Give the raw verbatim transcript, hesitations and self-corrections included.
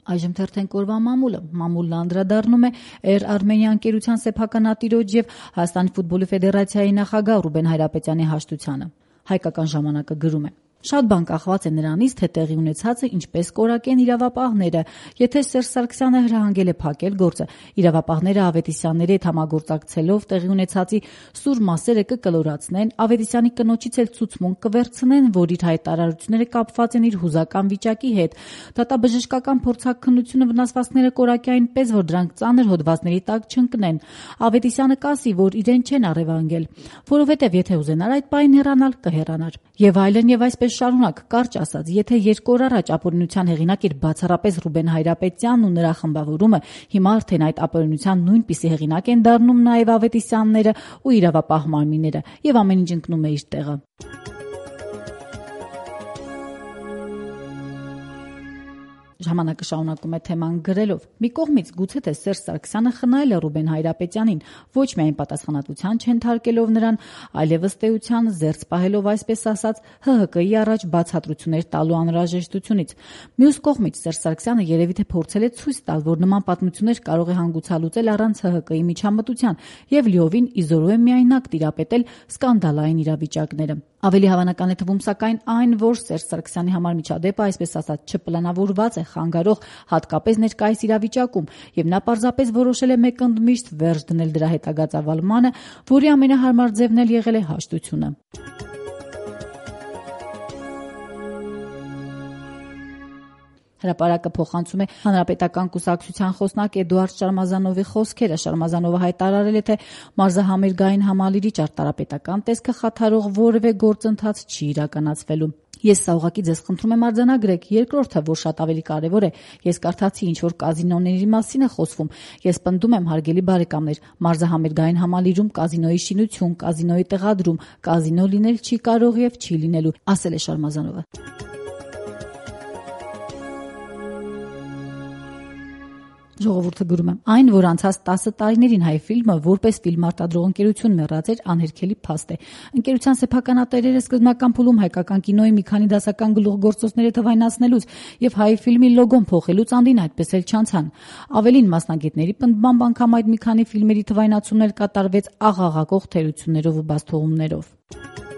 Այժմ թերթենք օրվա մամուլը։ Մամուլն անդրադառնում է Air Armenia ընկերության սեփականատիրոջ եւ Հայաստանի ֆուտբոլի ֆեդերացիայի նախագահ Ռուբեն Հայրապետյանի հաշտությանը։ Հայկական ժամանակը գրում է. Շատ բան կախված է նրանից, թե տեղի ունեցածը ինչպես կորակեն իրավապահները։ Եթե Սերժ Սարգսյանը հրահանգել է փակել գործը, իրավապահները Ավետիսյանների հետ համագործակցելով տեղի ունեցածի սուր մասերը կկլորացնեն, Ավետիսյանի կնոջից էլ ցուցմունք կվերցնեն, որ իր հայտարարությունները կապված են իր հուզական վիճակի հետ։ Դատաբժշկական փորձաքննությունը վնասվածքները կորակի այնպես, որ դրանք ծանր հոդվածների տակ չընկնեն։ Ավետիսյանը կասի, որ իրեն չեն առևանգել, որովհետև եթե ուզենար այդ պահին հեռանալ, կհեռանար։ Եվ այլն եւ այսպես շարունակ, կարճ ասած, եթե երկու օր առաջ ապօրինության հեղինակ էր բացառապես Ռուբեն Հայրապետյանն ու նրա խմբավորումը, հիմա արդեն այդ ապօրինության նույնպիսի հեղինակ են դառնում նաեւ Ավետիսյանները ու իրավապահ մարմինները, եւ ամեն ինչ ընկնում է իր տեղը։ Ժամանակը շարունակում է թեման գրելով. մի կողմից գուցե թե Սերժ Սարգսյանը խնայել է Ռուբեն Հայրապետյանին, ոչ միայն պատասխանատվության չընթարկելով նրան, այլև ըստ էության զերծ պահելով այսպես ասած Հ Հ Կի առաջ բացատրություններ տալու անհրաժեշտությունից։ Մյուս կողմից Սերժ Սարգսյանը երևի թե փորձել է ցույց տալ, որ նման պատմություններ կարող է հանգուցալուծել առանց Հ Հ Կի միջամտության եւ լիովին իզորու է միայնակ տիրապետել սկանդալային իրավիճակները։ Ավելի հավանական է թվում սակայն այն, որ Սերժ Սարգսյանի համար միջադեպը այսպես ասած չպլանավորված է, խանգարող հատկապես ներկայիս իրավիճակում, եւ նա պարզապես որոշել է մեկ ընդմիշտ վերջ դնել դրա հետագա ծավալմանը, որի ամենահարմար ձևն էլ եղել է հաշտությունը։ Հրապարակը փոխանցում է Հանրապետական կուսակցության խոսնակ Էդուարդ Շարմազանովի խոսքերը։ Շարմազանովը հայտարարել է, թե մարզահամերգային համալիրի ճարտարապետական տեսքը խաթարող որևէ գործընթաց չի իրականացվելու։ Ես սա ուղղակի ձեզ խնդրում եմ արձանագրեք։ Երկրորդը, որ շատ ավելի կարևոր է, ես կարդացի ինչ որ կազինոների մասին է խոսվում։ Ես պնդում եմ, հարգելի բարեկամներ, մարզահամերգային համալիրում կազինոյի շինություն, կազինոյի տեղադրում, կազինո լինել չի կարող եւ չի լինելու, ասել է Շարմազանովը։ Ժողովուրդը գրում է. այն, որ անցած տասը տարիներին հայ ֆիլմը որպես ֆիլմ արտադրող ընկերություն մեռած էր, անհերքելի փաստ է։ Ընկերության սեփականատերերը սկզբնական փուլում հայկական կինոյի մի քանի դասական գլուխգործոցները թվայնացնելուց եւ հայ ֆիլմի լոգոն փոխելուց անդին այդպես էլ չանցան։ Ավելին, մասնագետների պնդմամբ անգամ այդ մի քանի ֆիլմերի թվայնացումներ կատարվեց աղաղակող թերություններով ու բացթողումներով։